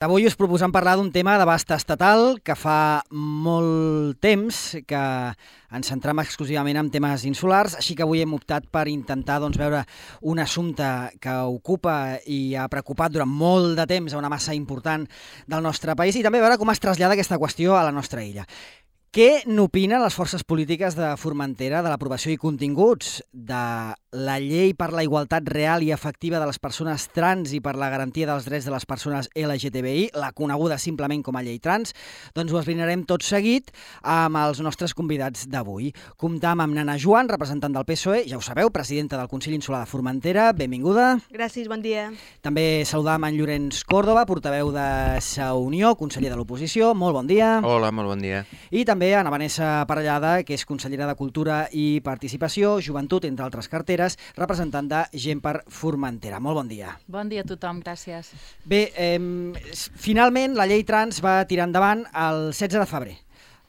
Avui us proposem parlar d'un tema d'abast estatal que fa molt temps que ens centram exclusivament en temes insulars, així que avui hem optat per intentar veure un assumpte que ocupa i ha preocupat durant molt de temps a una massa important del nostre país i també veure com es trasllada aquesta qüestió a la nostra illa. Què n'opinen les forces polítiques de Formentera de l'aprovació i continguts de la llei per la igualtat real i efectiva de les persones trans i per la garantia dels drets de les persones LGTBI, la coneguda simplement com a llei trans? Doncs ho esbrinarem tot seguit amb els nostres convidats d'avui. Comptam amb Nana Joan, representant del PSOE, ja ho sabeu, presidenta del Consell Insular de Formentera. Benvinguda. Gràcies, bon dia. També saludam en Llorenç Còrdova, portaveu de Sa Unió, conseller de l'oposició. Molt bon dia. Hola, molt bon dia. I també Ana Vanessa Parellada, que és consellera de Cultura i Participació, Joventut, entre altres carteres, representant de Gent per Formentera. Molt bon dia. Bon dia a tothom, gràcies. Bé, finalment la llei trans va tirar endavant el 16 de febrer.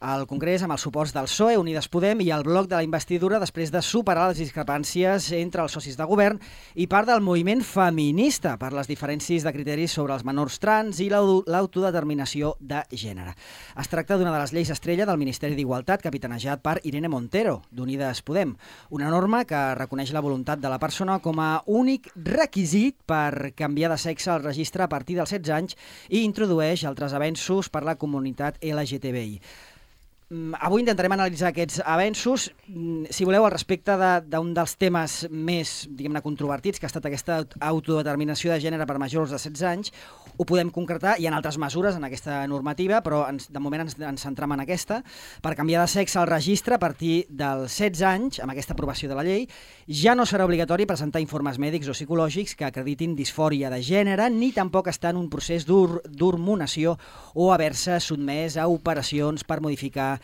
Al Congrés amb els suports del PSOE, Unides Podem i el bloc de la investidura després de superar les discrepàncies entre els socis de govern i part del moviment feminista per les diferències de criteris sobre els menors trans i l'autodeterminació de gènere. Es tracta d'una de les lleis estrella del Ministeri d'Igualtat capitanejat per Irene Montero, d'Unides Podem, una norma que reconeix la voluntat de la persona com a únic requisit per canviar de sexe al registre a partir dels 16 anys i introdueix altres avenços per la comunitat LGTBI. Avui intentarem analitzar aquests avenços, si voleu, al respecte d'un dels temes més, diguem-ne, controvertits, que ha estat aquesta autodeterminació de gènere per majors de 16 anys. Ho podem concretar, hi ha altres mesures en aquesta normativa, però de moment ens centram en aquesta. Per canviar de sexe al registre a partir dels 16 anys, amb aquesta aprovació de la llei, ja no serà obligatori presentar informes mèdics o psicològics que acreditin disfòria de gènere, ni tampoc estar en un procés d'hormonació o haver-se sotmès a operacions per modificar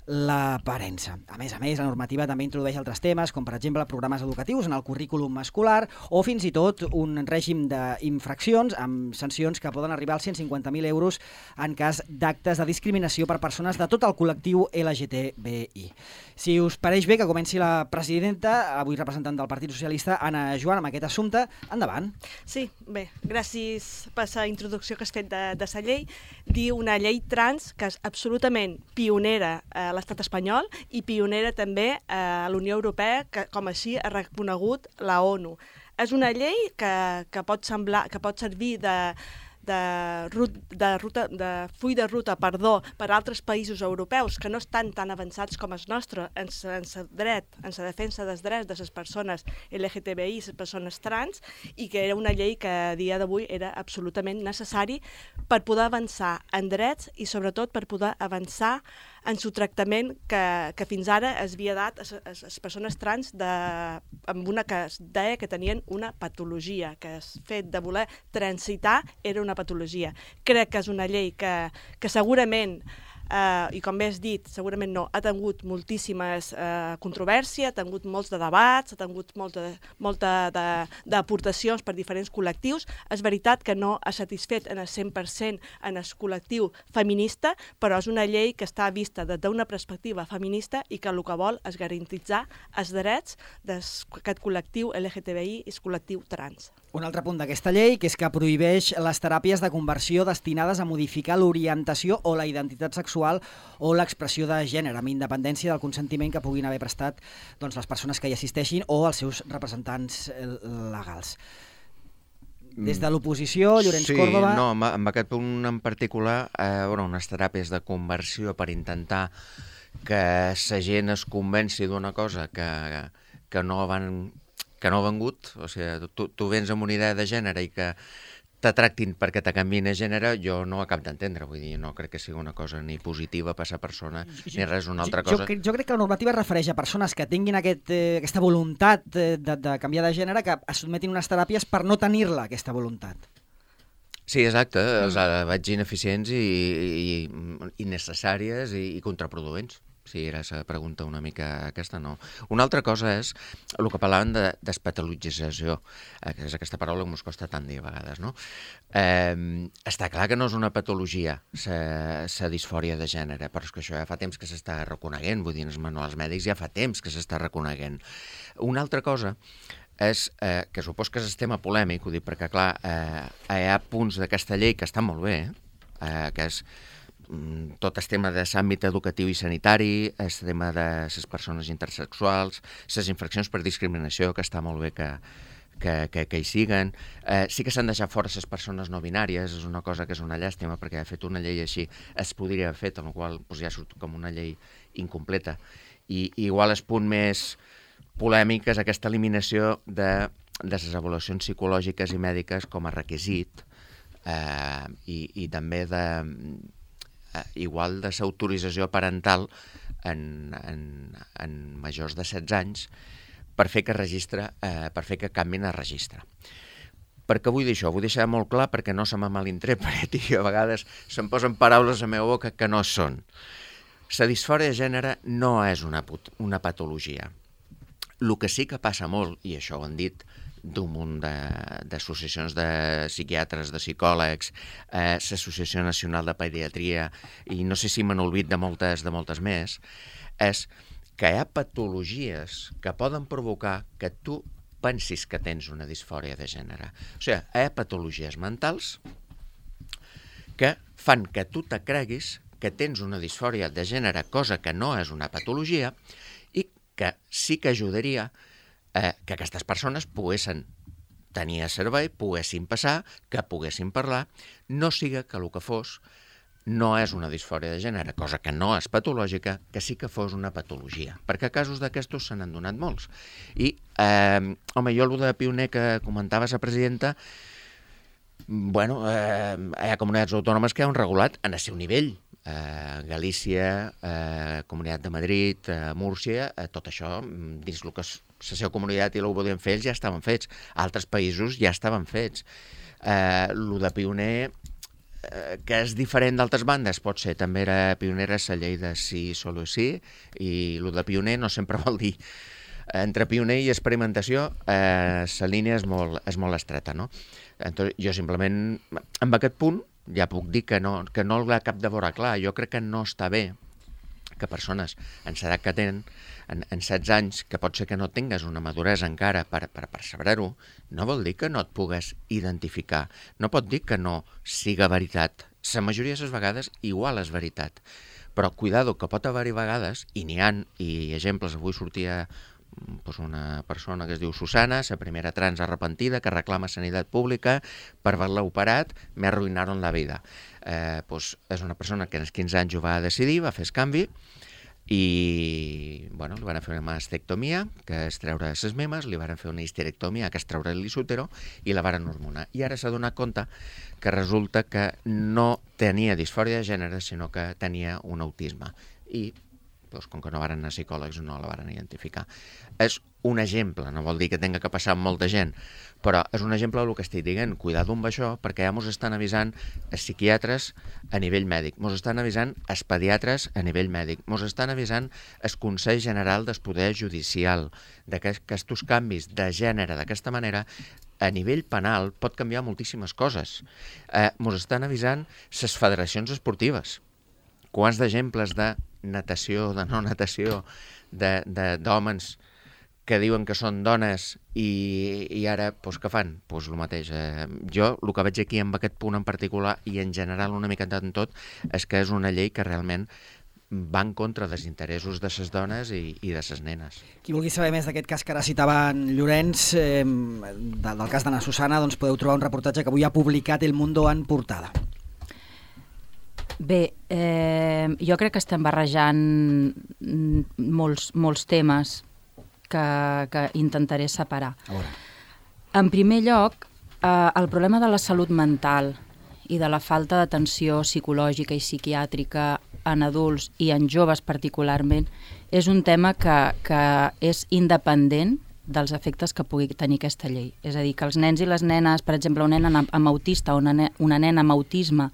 l'aparença. A més, la normativa també introdueix altres temes, com per exemple programes educatius en el currículum escolar o fins i tot un règim d'infraccions amb sancions que poden arribar als 150.000 euros en cas d'actes de discriminació per persones de tot el col·lectiu LGTBI. Si us pareix bé que comenci la presidenta, avui representant del Partit Socialista, Nana Joan, amb aquest assumpte, endavant. Sí, bé, gràcies per la introducció que has fet de la llei. Diu una llei trans que és absolutament pionera a l'estat espanyol i pionera també a la Unió Europea, que com així ha reconegut la ONU. És una llei que pot servir de full de ruta per altres països europeus que no estan tan avançats com els nostres en la defensa dels drets de les persones LGTBI, les persones trans, i que era una llei que a dia d'avui era absolutament necessari per poder avançar en drets i sobretot per poder avançar en el tractament que fins ara es havia dat a les persones trans amb una que es deia que tenien una patologia, que el fet de voler transitar era una patologia. Crec que és una llei que segurament, i com bé has dit, segurament no, ha tingut moltíssimes controvèrsies, ha tingut molts de debats, ha tingut molta d'aportacions per diferents col·lectius. És veritat que no ha satisfet en el 100% en el col·lectiu feminista, però és una llei que està vista des d'una perspectiva feminista i que el que vol és garantitzar els drets d'aquest col·lectiu LGTBI i el col·lectiu trans. Un altre punt d'aquesta llei, que és que prohibeix les teràpies de conversió destinades a modificar l'orientació o la identitat sexual o l'expressió de gènere, amb independència del consentiment que puguin haver prestat les persones que hi assisteixin o els seus representants legals. Des de l'oposició, Llorenç Còrdova... Sí, no, amb aquest punt en particular, unes teràpies de conversió per intentar que la gent es convenci d'una cosa que no ha vengut, o sigui, tu vens amb una idea de gènere i que te tractin perquè te canviïn de gènere, jo no ho acabo d'entendre, vull dir, no crec que sigui una cosa ni positiva per a la persona, ni res una altra cosa. Jo crec que la normativa es refereix a persones que tinguin aquesta voluntat de canviar de gènere, que es sotmetin unes teràpies per no tenir-la, aquesta voluntat. Sí, exacte, els veig ineficients i innecessàries i contraproduents. Sí, era la pregunta una mica aquesta, no. Una altra cosa és el que parlaven de despatologització, que és aquesta paraula que ens costa tant dir a vegades, no? Està clar que no és una patologia, la disfòria de gènere, però és que això ja fa temps que s'està reconeguent, vull dir, en els manuals mèdics ja fa temps que s'està reconeguent. Una altra cosa és que supos que és el tema polèmic, ho dic perquè, clar, hi ha punts d'aquesta llei que estan molt bé, que és tot el tema de l'àmbit educatiu i sanitari, el tema de les persones intersexuals, les infraccions per discriminació, que està molt bé que hi siguen. Sí que s'han deixat fora les persones no binàries, és una cosa que és una llàstima, perquè ha fet una llei així, es podria haver fet, amb la qual cosa ja surt com una llei incompleta. I igual el punt més polèmic és aquesta eliminació de les avaluacions psicològiques i mèdiques com a requisit i també igual de l'autorització parental en majors de 16 anys per fer que canvin a registre. Per què vull dir això? Vull deixar molt clar perquè no se me malinterpreti i a vegades se'm posen paraules a la meva boca que no són. La disfòria de gènere no és una patologia. El que sí que passa molt, i això ho han dit d'un munt d'associacions de psiquiatres, de psicòlegs, l'Associació Nacional de Pediatria, i no sé si m'han oblidat de moltes més, és que hi ha patologies que poden provocar que tu pensis que tens una disfòria de gènere. O sigui, hi ha patologies mentals que fan que tu te creguis que tens una disfòria de gènere, cosa que no és una patologia, i que sí que ajudaria que aquestes persones poguessin tenir a servei, poguessin passar, que poguessin parlar, no siga que el que fos no és una disfòria de gènere, cosa que no és patològica, que sí que fos una patologia, perquè casos d'aquestos se n'han donat molts. I, home, jo el de pioner que comentava la presidenta, bueno, hi ha comunitats autònomes que han regulat en el seu nivell, Galícia, Comunitat de Madrid, Múrcia, tot això, dins el que és la seva comunitat i el que podien fer, ja estaven fets. Altres països ja estaven fets. El de pioner, que és diferent d'altres bandes, pot ser, també era pionera la llei de sí, solo sí, i el de pioner no sempre vol dir. Entre pioner i experimentació, la línia és molt estreta, no? Entonces, jo simplement, amb aquest punt, ja puc dir que no el ha cap de veure clar. Jo crec que no està bé que persones en l'edat que tenen, en 16 anys, que pot ser que no tingues una maduresa encara per saber-ho, no vol dir que no et pugues identificar. No pot dir que no siga veritat. La majoria de les vegades igual és veritat. Però cuidado, que pot haver-hi vegades, i n'hi ha, i exemples, avui sortia una persona que es diu Susana, la primera trans arrepentida que reclama sanitat pública per haver-la operat, me arruïnaron la vida. És una persona que als 15 anys ho va decidir, va fer el canvi i li van fer una mastectomia, que és treure les memes, li van fer una histerectomia, que és treure l'isútero, i la van hormonar. I ara s'ha donat compte que resulta que no tenia disfòria de gènere, sinó que tenia un autisme. I com que no van anar psicòlegs no la van identificar. És un exemple, no vol dir que tenga que passar amb molta gent, però és un exemple del que estic dient. Cuidado amb això, perquè ja mos estan avisant els psiquiatres a nivell mèdic, mos estan avisant els pediatres a nivell mèdic, mos estan avisant el Consell General del Poder Judicial, que aquests canvis de gènere d'aquesta manera a nivell penal pot canviar moltíssimes coses. Mos estan avisant les federacions esportives. Quants d'exemples de natació, de no natació, d'homes que diuen que són dones i ara, què fan? El mateix. Jo el que veig aquí amb aquest punt en particular i en general una mica en tot és que és una llei que realment va en contra dels interessos de les dones i de les nenes. Qui vulgui saber més d'aquest cas que ara citava en Llorenç, del cas d'Anna Susana, doncs podeu trobar un reportatge que avui ha publicat El Mundo en portada. Bé, jo crec que estem barrejant molts temes que intentaré separar. En primer lloc, el problema de la salut mental i de la falta d'atenció psicològica i psiquiàtrica en adults i en joves particularment és un tema que és independent dels efectes que pugui tenir aquesta llei. És a dir, que els nens i les nenes, per exemple, una nena amb autista o una nena amb autisme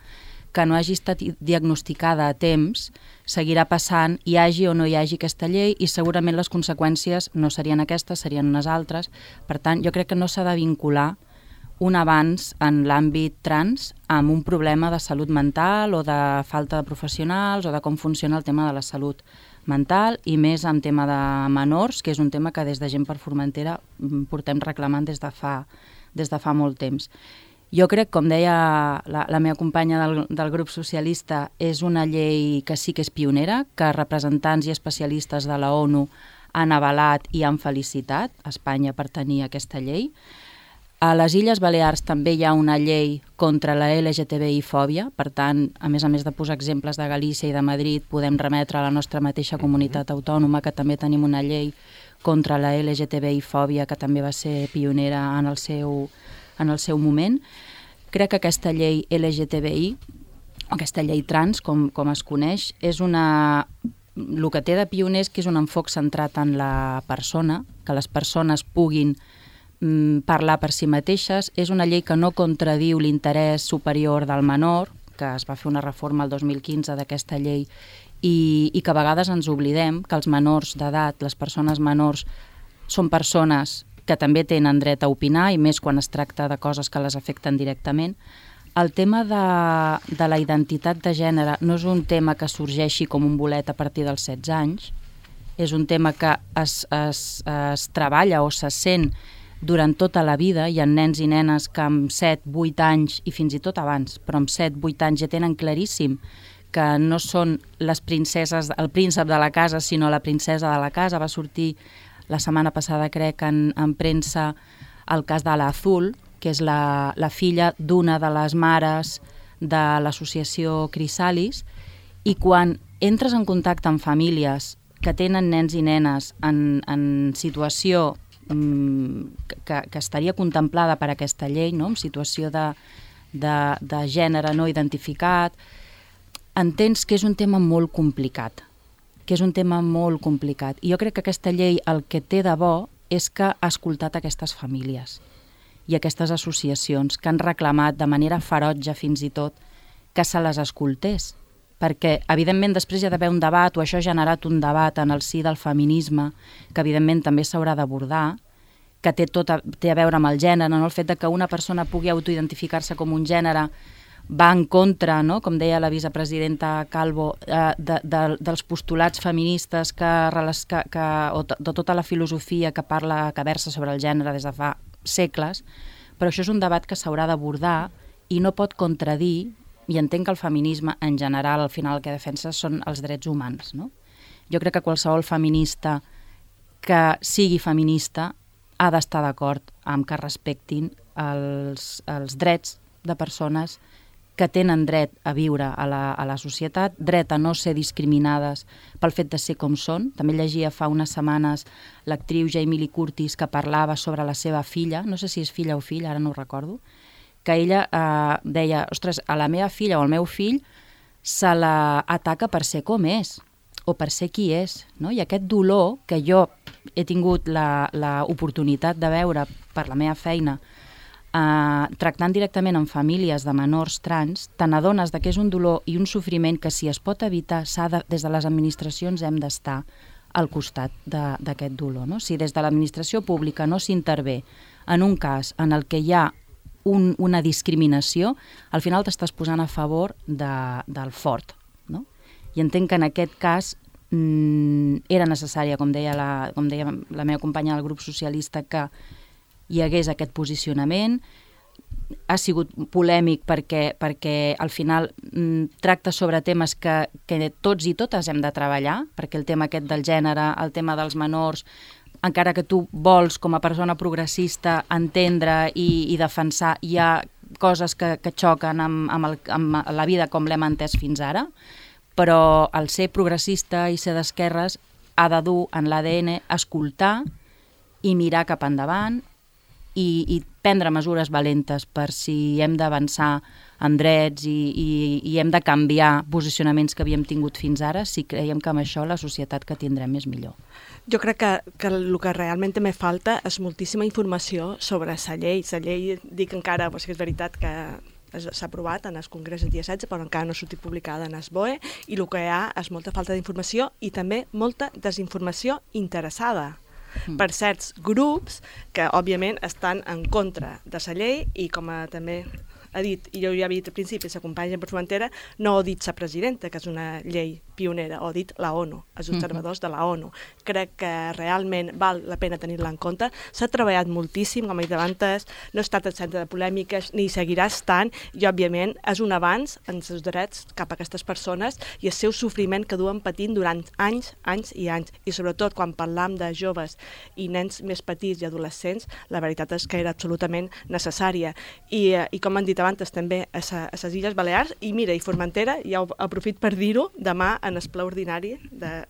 que no hagi estat diagnosticada a temps, seguirà passant, hi hagi o no hi hagi aquesta llei, i segurament les conseqüències no serien aquestes, serien unes altres. Per tant, jo crec que no s'ha de vincular un avanç en l'àmbit trans amb un problema de salut mental o de falta de professionals o de com funciona el tema de la salut mental i més en tema de menors, que és un tema que des de Gent per Formentera portem reclamant des de fa molt temps. Jo crec, com deia la meva companya del grup socialista, és una llei que sí que és pionera, que representants i especialistes de la ONU han avalat i han felicitat Espanya per tenir aquesta llei. A les Illes Balears també hi ha una llei contra la LGTBI-fòbia, per tant, a més de posar exemples de Galícia i de Madrid, podem remetre a la nostra mateixa comunitat autònoma, que també tenim una llei contra la LGTBI-fòbia, que també va ser pionera en el seu moment. Crec que aquesta llei LGTBI, aquesta llei trans, com es coneix, és el que té de pioner és que és un enfoc centrat en la persona, que les persones puguin parlar per si mateixes. És una llei que no contradiu l'interès superior del menor, que es va fer una reforma el 2015 d'aquesta llei, i que a vegades ens oblidem que els menors d'edat, les persones menors, són persones que també tenen dret a opinar, i més quan es tracta de coses que les afecten directament. El tema de la identitat de gènere no és un tema que sorgeixi com un bolet a partir dels 16 anys, és un tema que es treballa o se sent durant tota la vida. Hi ha nens i nenes que amb 7, 8 anys, i fins i tot abans, però amb 7, 8 anys ja tenen claríssim que no són les princeses, el príncep de la casa, sinó la princesa de la casa. Va sortir la setmana passada, crec, en premsa, el cas de l'Azul, que és la filla d'una de les mares de l'associació Crisalis, i quan entres en contacte amb famílies que tenen nens i nenes en situació que estaria contemplada per aquesta llei, no? En situació de gènere no identificat, entens que és un tema molt complicat, I jo crec que aquesta llei el que té de bo és que ha escoltat aquestes famílies i aquestes associacions que han reclamat de manera ferotge fins i tot que se les escoltés, perquè evidentment després hi ha d'haver un debat, o això ha generat un debat en el si del feminisme, que evidentment també s'haurà d'abordar, que té a veure amb el gènere, no? El fet de que una persona pugui autoidentificar-se com un gènere va en contra, no? Com deia la vicepresidenta Calvo, dels postulats feministes o de tota la filosofia que versa sobre el gènere des de fa segles, però això és un debat que s'haurà d'abordar i no pot contradir, i entenc que el feminisme en general al final el que defensa són els drets humans, no? Jo crec que qualsevol feminista que sigui feminista ha d'estar d'acord amb que respectin els drets de persones que tenen dret a viure a la societat, dret a no ser discriminades pel fet de ser com són. També llegia fa unes setmanes l'actriu Jamie Lee Curtis, que parlava sobre la seva filla, no sé si és filla o fill, ara no ho recordo, que ella deia, ostres, a la meva filla o al meu fill se l'ataca per ser com és o per ser qui és, no? I aquest dolor que jo he tingut l'oportunitat de veure per la meva feina tractant directament amb famílies de menors trans, te n'adones que és un dolor i un sofriment que si es pot evitar, des de les administracions hem d'estar al costat d'aquest dolor, no? Si des de l'administració pública no s'intervé en un cas en el que hi ha una discriminació, al final t'estàs posant a favor del fort, no? I entenc que en aquest cas era necessària, com deia la meva companya del grup socialista, que hi hagués aquest posicionament. Ha sigut polèmic perquè al final tracta sobre temes que tots i totes hem de treballar, perquè el tema aquest del gènere, el tema dels menors, encara que tu vols com a persona progressista entendre i defensar, hi ha coses que xoquen amb la vida com l'hem entès fins ara, però el ser progressista i ser d'esquerres ha de dur en l'ADN escoltar i mirar cap endavant i prendre mesures valentes per si hem d'avançar en drets i hem de canviar posicionaments que havíem tingut fins ara, si creiem que amb això la societat que tindrem és millor. Jo crec que el que realment també falta és moltíssima informació sobre la llei. La llei, dic encara, perquè és veritat que s'ha aprovat en el Congrés el dia 16, però encara no ha sortit publicada en el BOE, i el que hi ha és molta falta d'informació i també molta desinformació interessada. per certs grups que, òbviament, estan en contra de la llei i, com també ha dit, i jo ja havia dit al principi, la companya per Formentera, no ha dit la presidenta, que és una llei pionera, ho ha dit la ONU, els observadors de la ONU. Crec que realment val la pena tenir-la en compte. S'ha treballat moltíssim, com he dit abans, no ha estat el centre de polèmiques, ni seguirà estant, i òbviament és un avanç en els drets cap a aquestes persones i el seu sofriment que duen patint durant anys, anys i anys. I sobretot quan parlam de joves i nens més petits i adolescents, la veritat és que era absolutament necessària. I com han dit abans també a les Illes Balears, i mira, i Formentera, ja aprofit per dir-ho, demà en el ple ordinari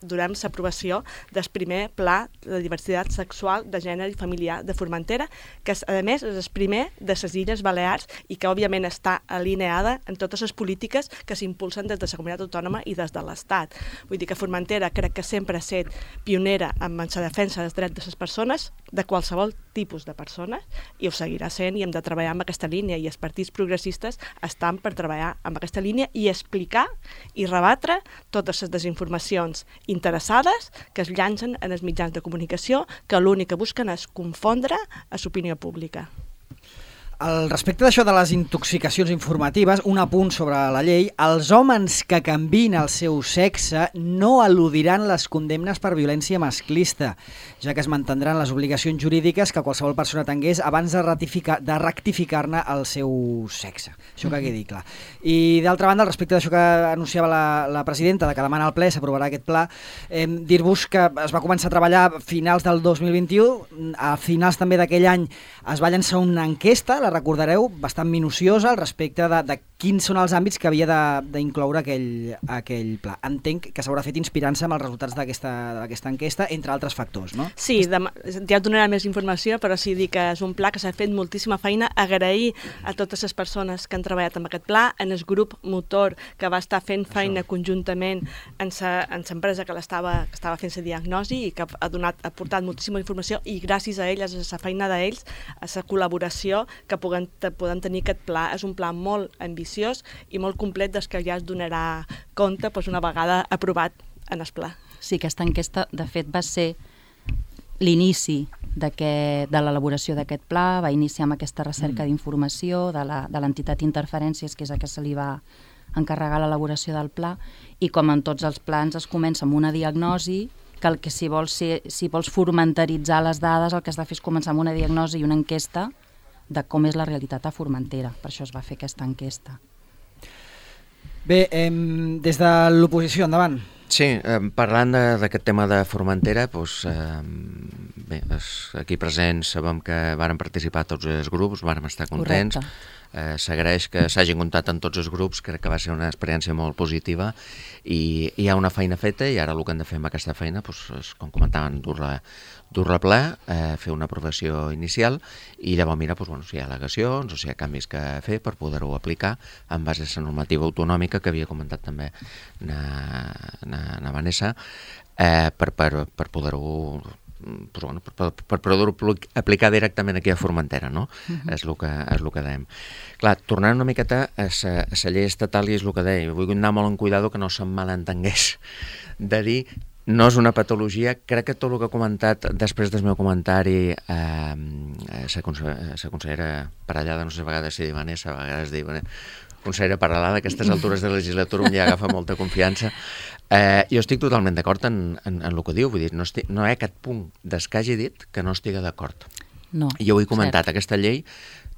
durem l'aprovació del primer pla de diversitat sexual, de gènere i familiar de Formentera, que a més és el primer de les Illes Balears i que òbviament està alineada en totes les polítiques que s'impulsen des de la comunitat autònoma i des de l'Estat. Vull dir que Formentera crec que sempre ha estat pionera en la defensa dels drets de les persones, de qualsevol tipus de persones, i ho seguirà sent i hem de treballar amb aquesta línia, i els partits progressistes estan per treballar amb aquesta línia i explicar i rebatre totes les desinformacions interessades que es llancen en els mitjans de comunicació, que l'únic que busquen és confondre a l'opinió pública. Al respecte d'això de les intoxicacions informatives, un apunt sobre la llei: els homes que canviïn el seu sexe no eludiran les condemnes per violència masclista, ja que es mantindran les obligacions jurídiques que qualsevol persona tingués abans de rectificar-ne el seu sexe. Això que quedi clar. I d'altra banda, al respecte d'això que anunciava la presidenta, de que demana al ple s'aprovarà aquest pla, dir-vos que es va començar a treballar a finals del 2021, a finals també d'aquell any es va llançar una enquesta, la recordareu, bastant minuciosa al respecte de quins són els àmbits que havia d'incloure aquell pla. Entenc que s'haurà fet inspirant-se amb els resultats d'aquesta enquesta, entre altres factors, no? Sí, ja et donarà més informació, però sí dir que és un pla que s'ha fet moltíssima feina. Agrair a totes les persones que han treballat amb aquest pla, en el grup motor que va estar fent feina conjuntament amb l'empresa que estava fent la diagnosi i que ha portat moltíssima informació, i gràcies a ells, a la feina d'ells, a la col·laboració que podem tenir aquest pla. És un pla molt ambiciós i molt complet des que ja es donarà compte una vegada aprovat en el pla. Sí, aquesta enquesta, de fet, va ser l'inici de l'elaboració d'aquest pla, va iniciar amb aquesta recerca d'informació de l'entitat Interferències, que és a que se li va encarregar l'elaboració del pla, i com en tots els plans es comença amb una diagnosi, que si vols formentaritzar les dades, el que has de fer és començar amb una diagnosi i una enquesta de com és la realitat a Formentera. Per això es va fer aquesta enquesta. Bé, des de l'oposició, endavant. Sí, parlant d'aquest tema de Formentera, bé, aquí presents sabem que varen participar tots els grups, vàrem estar contents. Correcte. S'agraeix que s'hagin comptat en tots els grups, crec que va ser una experiència molt positiva i hi ha una feina feta, i ara el que hem de fer amb aquesta feina és, com comentaven, dur-la a ple, fer una aprovació inicial i llavors mirar si hi ha al·legacions o si hi ha canvis que fer per poder-ho aplicar en base a la normativa autonòmica que havia comentat també na Vanessa, per poder-ho per poder-ho aplicar directament aquí a Formentera, no? És el que dèiem. Clar, tornant una miqueta a la llei estatal, i és el que deia, vull anar molt en cuidado que no se'm malentengués de dir no és una patologia. Crec que tot el que ha comentat després del meu comentari la consellera Parellada, no sé, a vegades si diu Vanessa, a vegades diu consellera Parellada, a aquestes altures de la legislatura ja agafa molta confiança. Jo estic totalment d'acord en el que diu, vull dir, no hi ha cap punt des que hagi dit que no estigui d'acord. No, jo ho he comentat, aquesta llei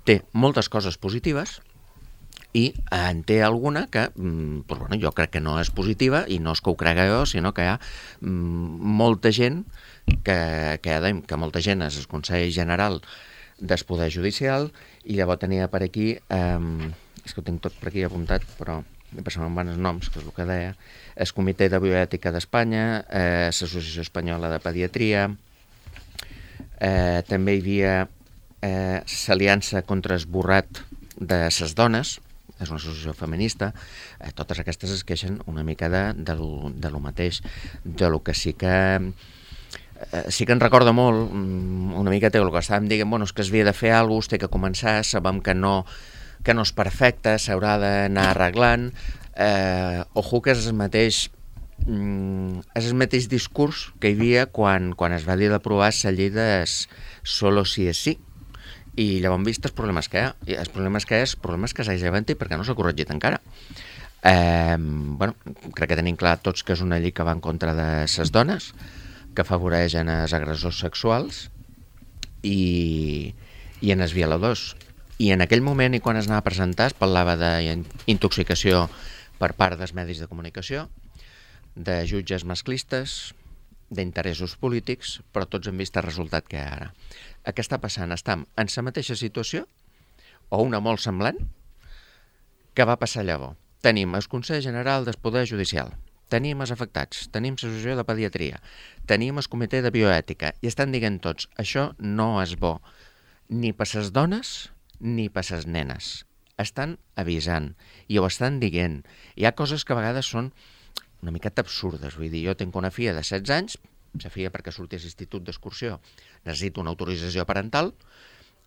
té moltes coses positives i en té alguna que jo crec que no és positiva, i no és que ho crega jo, sinó que hi ha molta gent que molta gent és el Consell General del Poder Judicial, i llavors tenia per aquí, és que ho tinc tot per aquí apuntat, però se'n van els noms, que és el que deia, el Comitè de Bioètica d'Espanya, l'Associació Espanyola de Pediatria, també hi havia l'Aliança contra Esborrat de les Dones, és una associació feminista. Totes aquestes es queixen una mica de lo mateix, de lo que sí que en recorda molt, una mica el que estàvem dient, és que es havia de fer alguna cosa, es té que començar, sabem que no és perfecte, s'haurà d'anar arreglant. Ojo que és el mateix és el mateix discurs que hi havia quan es va dir d'aprovar la llei de solo si és sí. I llavors hem vist els problemes que hi ha. I els problemes que s'ha llevat i perquè no s'ha corregit encara. Crec que tenim clar tots que és una llei que va en contra de les dones, que afavoreixen els agressors sexuals i en els violadors. I en aquell moment, i quan es anava a presentar, es parlava d'intoxicació per part dels medis de comunicació, de jutges masclistes, d'interessos polítics, però tots hem vist el resultat que hi ha ara. Què està passant? Estem en la mateixa situació, o una molt semblant, que va passar llavors. Tenim el Consell General del Poder Judicial, tenim els afectats, tenim l'associació de pediatria, tenim el comitè de bioètica, i estan dient tots, això no és bo, ni per les dones ni per les nenes. Estan avisant i ho estan dient. Hi ha coses que a vegades són una miqueta absurdes. Vull dir, jo tinc una filla de 16 anys, la filla perquè surti a l'institut d'excursió necessita una autorització parental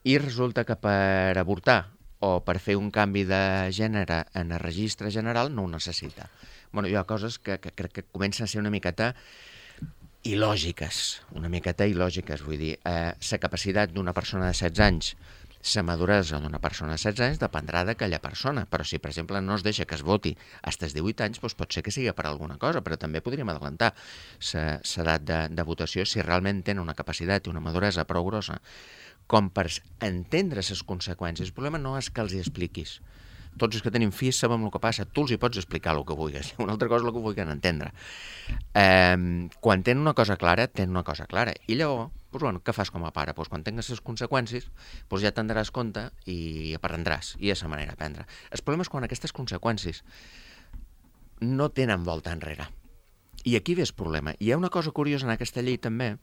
i resulta que per avortar o per fer un canvi de gènere en el registre general no ho necessita. Hi ha coses que crec que comencen a ser una miqueta il·lògiques, vull dir, la capacitat d'una persona de 16 anys, la maduresa d'una persona de 16 anys dependrà d'aquella persona, però si, per exemple, no es deixa que es voti fins als 18 anys, doncs pot ser que sigui per alguna cosa, però també podríem adelantar l'edat de votació si realment tenen una capacitat i una maduresa prou grossa com per entendre les conseqüències. El problema no és que els hi expliquis. Tots els que tenim fills sabem el que passa, tu els hi pots explicar el que vulguis, una altra cosa és el que vulguin entendre. Quan tenen una cosa clara, tenen una cosa clara. I llavors, què fas com a pare? Quan tingues les conseqüències, ja te'n daràs compte i aprendràs, i és la manera d'aprendre. El problema és quan aquestes conseqüències no tenen volta enrere. I aquí ve el problema. I hi ha una cosa curiosa en aquesta llei també,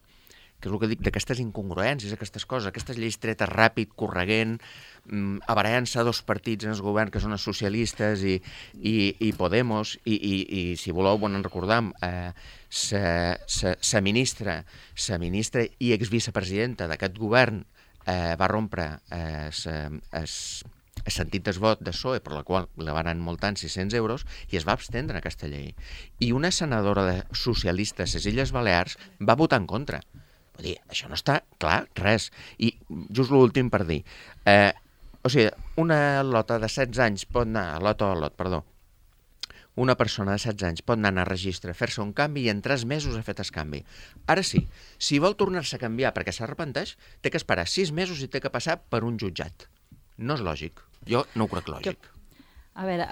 que és el que dic d'aquestes incongruències, aquestes coses, aquestes lleis tretes ràpid, corregent, abarallant-se a dos partits en el govern que són els socialistes i Podemos, i si voleu, en recordam, la ministra i exvicepresidenta d'aquest govern va rompre el sentit del vot de PSOE, per la qual la van anar multant 600 euros, i es va abstendre aquesta llei. I una senadora de socialistes a les Illes Balears va votar en contra. Vull dir, això no està clar, res. I just l'últim per dir, una lota de 16 anys pot anar, una persona de 16 anys pot anar a registre, fer-se un canvi i en 3 mesos ha fet el canvi. Ara sí, si vol tornar-se a canviar perquè s'arrepenteix, té que esperar 6 mesos i té que passar per un jutjat. No és lògic. Jo no ho crec lògic. A veure,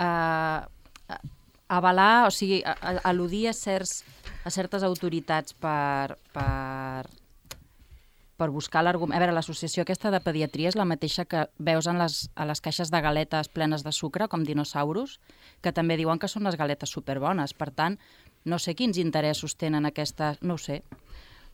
avalar, o sigui, al·ludir a certes autoritats per buscar l'argument. A veure, l'associació aquesta de pediatria és la mateixa que veus a les caixes de galetes plenes de sucre, com dinosaurus, que també diuen que són les galetes superbones. Per tant, no sé quins interessos tenen aquestes... No ho sé.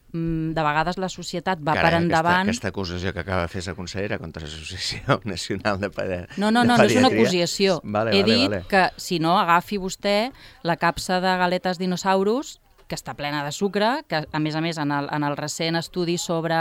De vegades la societat va per endavant... Aquesta acusació que acaba de fer la consellera contra l'Associació Nacional de Pediatria... No és una acusació. He dit que, si no, agafi vostè la capsa de galetes dinosaurus, que està plena de sucre, que a més en el recent estudi sobre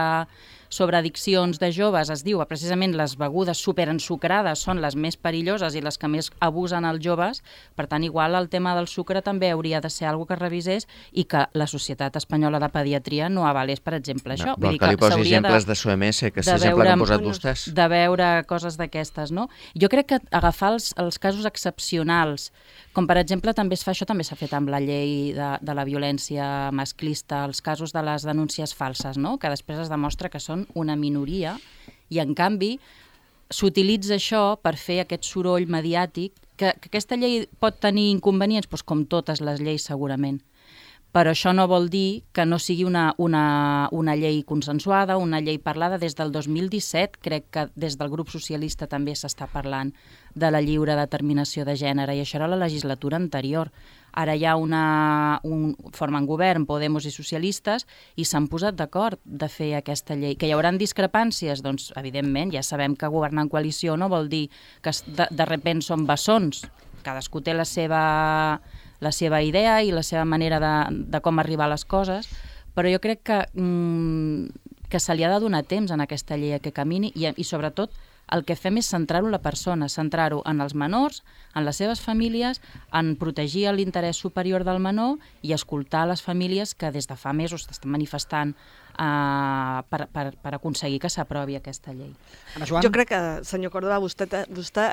addiccions de joves es diu que precisament les begudes superensucrades són les més perilloses i les que més abusen els joves. Per tant, igual el tema del sucre també hauria de ser alguna que revisés i que la Societat Espanyola de Pediatria no avalés, per exemple, això. Vol que li posi exemples de SOMS, que és l'exemple que han posat vostès. De veure coses d'aquestes, no? Jo crec que agafar els casos excepcionals, com per exemple també es fa, això també s'ha fet amb la llei de la violència masclista, els casos de les denúncies falses, no? Que després es demostra que són una minoria i, en canvi, s'utilitza això per fer aquest soroll mediàtic, que aquesta llei pot tenir inconvenients, doncs com totes les lleis segurament, però això no vol dir que no sigui una llei consensuada, una llei parlada. Des del 2017, crec que des del grup socialista també s'està parlant de la lliure determinació de gènere, i això era la legislatura anterior. Ara hi ha formen govern, Podemos i socialistes, i s'han posat d'acord de fer aquesta llei. Que hi haurà discrepàncies? Doncs, evidentment, ja sabem que governar en coalició no vol dir que de sobte són bessons. Cadascú té la seva idea i la seva manera de com arribar a les coses, però jo crec que se li ha de donar temps en aquesta llei a que camini i sobretot el que fem és centrar-ho en la persona, centrar-ho en els menors, en les seves famílies, en protegir l'interès superior del menor i escoltar les famílies que des de fa mesos estan manifestant per aconseguir que s'aprovi aquesta llei. Jo crec que, senyor Córdoba, vostè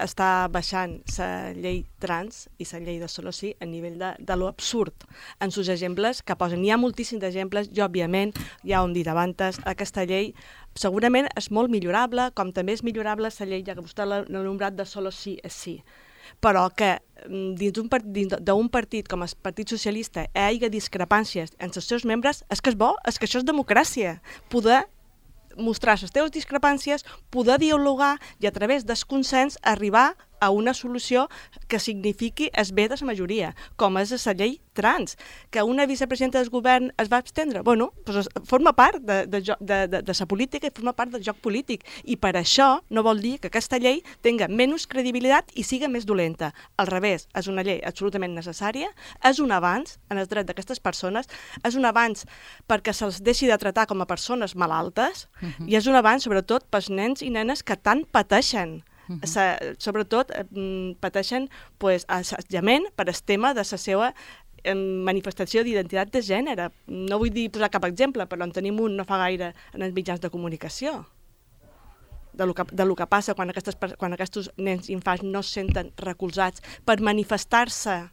està baixant la llei trans i la llei de solo sí a nivell de lo absurd en sus exemples que posen. Hi ha moltíssims exemples i, òbviament, ja ho hem dit abans, aquesta llei segurament és molt millorable, com també és millorable la llei, ja que vostè l'ha nombrat, de solo sí és sí. Però que dins d'un partit com el Partit Socialista hi hagi discrepàncies entre els seus membres, és que és bo, és que això és democràcia. Poder mostrar les teves discrepàncies, poder dialogar i a través del consens arribar a una solució que signifiqui el bé de la majoria, com és la llei trans. Que una vicepresidenta del govern es va abstendre, bueno, doncs forma part de la política i forma part del joc polític. I per això no vol dir que aquesta llei tinga menys credibilitat i siga més dolenta. Al revés, és una llei absolutament necessària, és un avanç en els drets d'aquestes persones, és un avanç perquè se'ls deixi de tractar com a persones malaltes i és un avanç sobretot pels nens i nenes que tant pateixen. Sobretot pateixen assetjament per el tema de la seva manifestació d'identitat de gènere. No vull posar cap exemple, però en tenim un no fa gaire en els mitjans de comunicació. De lo que passa quan aquests nens i infants no es senten recolzats per manifestar-se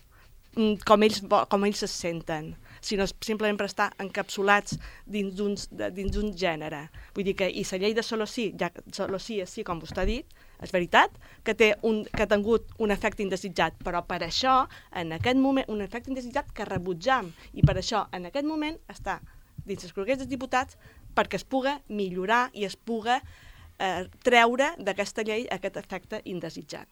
com ells es senten, sinó simplement per estar encapsulats dins d'un gènere. Vull dir que, i la llei de solo sí és sí, com vostè ha dit, és veritat que ha tingut un efecte indesitjat, però per això, en aquest moment, un efecte indesitjat que rebutjam, i per això, en aquest moment, està dins els congrés dels diputats perquè es puga millorar i es puga treure d'aquesta llei aquest efecte indesitjat.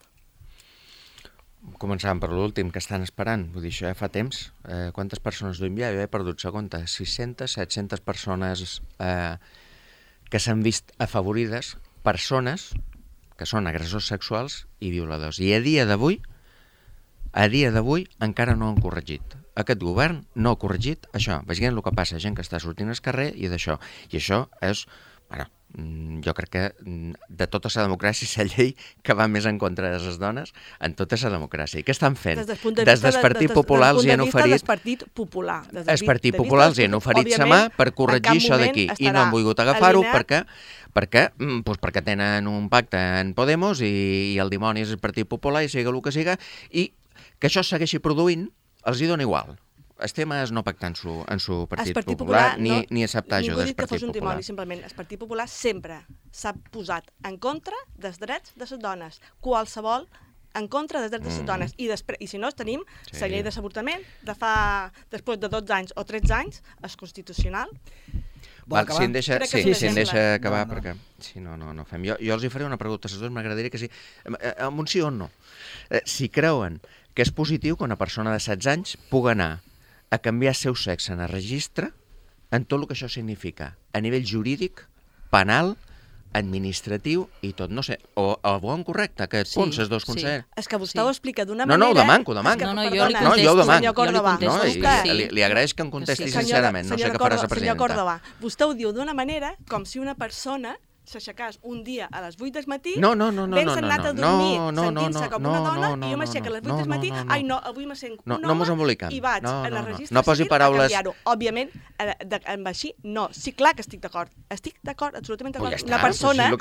Començàvem per l'últim, que estan esperant. Vull dir, això ja fa temps. Quantes persones duim ja? Jo he perdut la compte. 600, 700 persones que s'han vist afavorides, persones que són agressors sexuals i violadors. I a dia d'avui encara no han corregit. Aquest govern no ha corregit això. Vegem el que passa, gent que està sortint al carrer i d'això. I això és... Bueno, jo crec que de tota la democràcia és la llei que va més en contra de les dones en tota la democràcia. I què estan fent? Des del Partit Popular els hi han oferit... Des del Partit Popular. El Partit Popular els hi han oferit sa mà per corregir això d'aquí i no han volgut agafar-ho perquè tenen un pacte en Podemos i el dimoni és el Partit Popular i siga el que siga, i que això es segueixi produint els hi dona igual. El tema és no pactar en su Partit Popular ni acceptar això del Partit Popular. Simplement, el Partit Popular sempre s'ha posat en contra dels drets de les dones. Qualsevol en contra dels drets de les dones. I si no, tenim la llei de l'avortament després de 12 anys o 13 anys, és constitucional. Si em deixa acabar, perquè si no fem. Jo els hi faré una pregunta a les dues, m'agradaria que sí, amb un sí o no. Si creuen que és positiu que una persona de 16 anys pugui anar a canviar el seu sexe en el registre en tot el que això significa, a nivell jurídic, penal, administratiu i tot, no sé, o bon correcte, aquest punt, els dos consellers. És que vostè ho explica d'una manera... No, ho demanco. Jo li contesto. Li agraeix que em contesti sincerament, no sé què farà la presidenta. Senyor Córdoba, vostè ho diu d'una manera com si una persona s'aixecàs un dia a les 8 del matí, ben anat a dormir, sentint-se com una dona, i jo m'aixeco a les 8 del matí, ai no, avui me sent un home, i vaig a la registre civil a canviar-ho. Òbviament, amb així, no. Sí, clar que estic d'acord. Estic d'acord, absolutament d'acord. Una persona,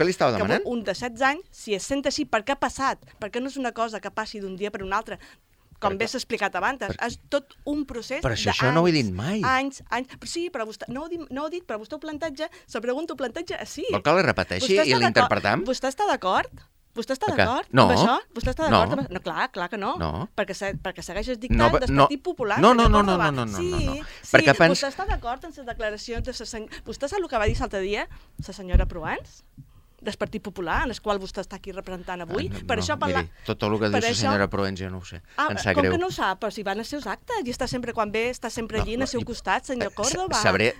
un de 16 anys, si es sent així, per què ha passat? Perquè no és una cosa que passi d'un dia per un altre. Com bé s'ha explicat abans, és tot un procés d'anys. Però això no ho he dit mai. Anys. Sí, però vostè, no ho he dit, però vostè ho planteja, la pregunta ho planteja així. Vol que la repeteixi i l'interpretam? Vostè està d'acord? Vostè està d'acord amb això? Vostè està d'acord amb això? No, clar que no. Perquè segueix el dictat del Partit Popular. No. Sí, vostè està d'acord amb les declaracions de la senyora... Vostè sap el que va dir l'altre dia la senyora Proans? Del Partit Popular, en el qual vostè està aquí representant avui. Miri, tot el que diu la senyora Provenç jo no ho sé. Em sap greu. Com que no ho sap? Però si van als seus actes i està sempre quan ve, està sempre allí al seu costat, senyor Córdoba. Sabré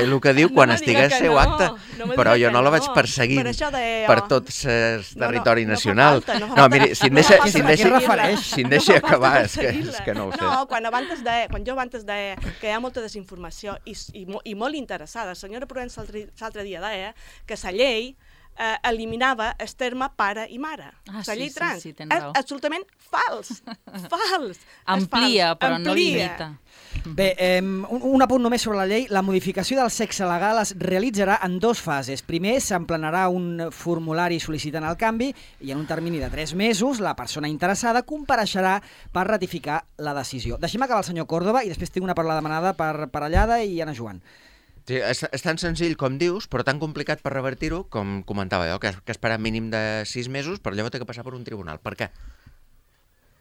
el que diu quan estigui al seu acte, però jo no la vaig perseguint per tot el territori nacional. No, miri, si em deixa acabar, és que no ho sé. No, quan jo abans deia que hi ha molta desinformació i molt interessada, la senyora Provenç l'altre dia deia que la llei eliminava el terme pare i mare. La llei trans. Sí, tens raó. És absolutament fals. Fals. Amplia, però no limita. Bé, un apunt només sobre la llei. La modificació del sexe legal es realitzarà en 2 fases. Primer, s'emplenarà un formulari sol·licitant el canvi i en un termini de 3 mesos la persona interessada compareixerà per ratificar la decisió. Deixem acabar el senyor Córdoba i després tinc una paraula demanada per Parellada i Anna Joan. Sí, és tan senzill com dius, però tan complicat per revertir-ho, com comentava jo, que esperar mínim de 6 mesos, però llavors té que passar per un tribunal. Per què?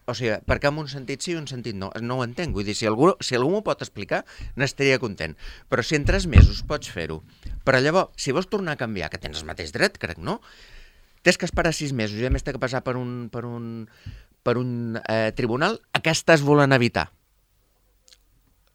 O sigui, per què en un sentit sí i en un sentit no? No ho entenc. Vull dir, si algú m'ho pot explicar, n'estaria content. Però si en 3 mesos pots fer-ho, però llavors, si vols tornar a canviar, que tens el mateix dret, crec, no? Tens que esperar 6 mesos i a més té que passar per un tribunal, a què estàs volent evitar?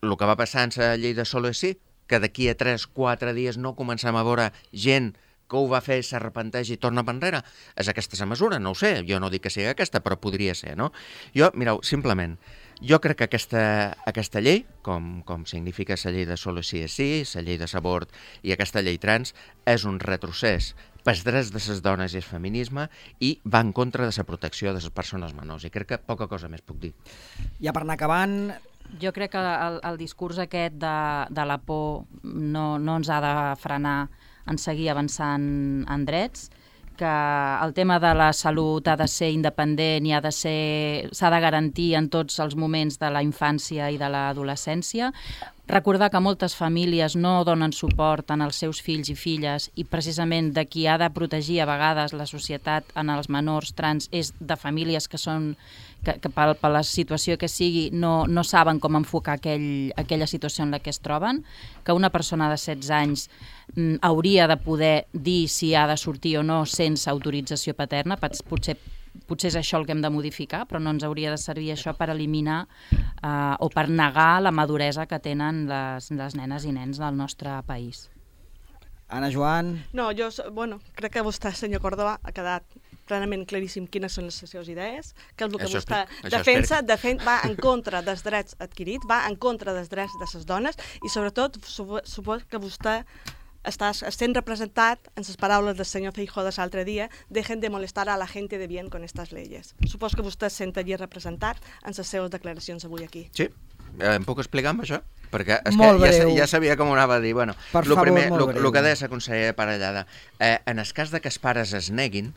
El que va passar en la llei de Solo és sí, que d'aquí a 3-4 dies no comencem a veure gent que ho va fer, s'arrepenteix i torna per enrere. És aquesta la mesura? No ho sé. Jo no dic que sigui aquesta, però podria ser, no? Jo, mireu, simplement, jo crec que aquesta llei, com significa la llei de Solo sí és sí, la llei de l'abort i aquesta llei trans, és un retrocés pels drets de les dones i el feminisme i va en contra de la protecció de les persones menors. I crec que poca cosa més puc dir. Ja per anar acabant... Jo crec que el discurs aquest de la por no ens ha de frenar en seguir avançant en drets, que el tema de la salut ha de ser independent i s'ha de garantir en tots els moments de la infància i de l'adolescència. Recordar que moltes famílies no donen suport als seus fills i filles i precisament de qui ha de protegir a vegades la societat en els menors trans és de famílies que per la situació que sigui no saben com enfocar aquella situació en la que es troben, que una persona de 16 anys hauria de poder dir si ha de sortir o no sense autorització paterna. Potser és això el que hem de modificar, però no ens hauria de servir això per eliminar o per negar la maduresa que tenen les nenes i nens del nostre país. Anna Joan... No, crec que vostè, senyor Córdoba, ha quedat plenament claríssim quines són les seves idees, que és el que vostè defensa, va en contra dels drets adquirits, va en contra dels drets de les dones i sobretot suposo que vostè estem representat en les paraules del senyor Feijóo de l'altre dia, dejen de molestar a la gente de bien con estas leyes. Suposo que vostè es sentaria representat en les seves declaracions avui aquí. Sí, em puc explicar amb això? Perquè és que ja sabia com ho anava a dir. Bueno, el que deia la consellera Parellada, en el cas que els pares es neguin,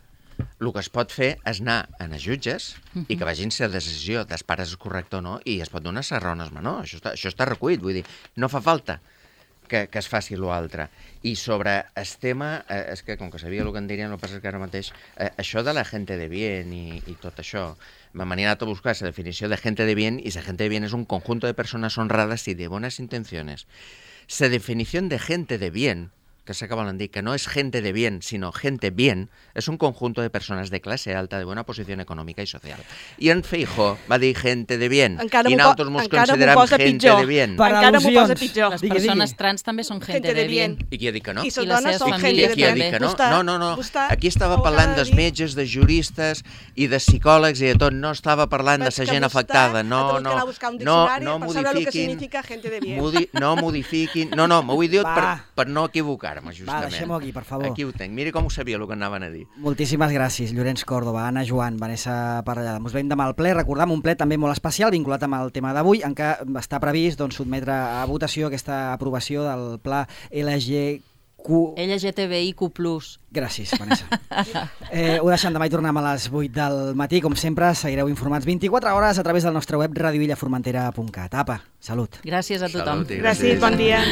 el que es pot fer és anar a els jutges i que vagin si la decisió dels pares és correcta o no i es pot donar les raons als menors. Això està recollit, vull dir, no fa falta que es faci l'altre. I sobre el tema, és que com que sabia el que em dirien, el que passa és que ara mateix, això de la gente de bien i tot això, m'han anat a buscar la definició de gente de bien y la gente de bien es un conjunto de personas honradas y de buenas intenciones. La definición de gente de bien, que se acaban de dir que no es gente de bien, sino gente bien, es un conjunto de personas de clase alta, de buena posición econòmica i social. I en Feijóo va dir gente de bien, i nosaltres ens considerem gente de bien. Encara m'ho posa pitjor. Les persones trans també són gente de bien. I qui ha dit que no? I les dones són gente de bien. Qui ha dit que no? No. Aquí estava parlant dels metges, de juristes i de psicòlegs i de tot. No estava parlant de la gent afectada. No modifiquin. No, m'ho he dit per no equivocar-me, justament. Va, deixem-ho aquí, per favor. Aquí ho tenc. Mira com ho sabia el que anaven a dir. Moltíssimes gràcies, Llorenç Córdoba, Anna Joan, Vanessa Parellada. Ens veiem demà al ple. Recordam un ple també molt especial vinculat amb el tema d'avui, en què està previst sotmetre a votació aquesta aprovació del pla LGTBIQ+. Gràcies, Vanessa. Ho deixem demà i tornem a les 8 del matí. Com sempre, seguireu informats 24 hores a través del nostre web radioillaformentera.cat. Apa, salut. Gràcies a tothom. Gràcies, bon dia.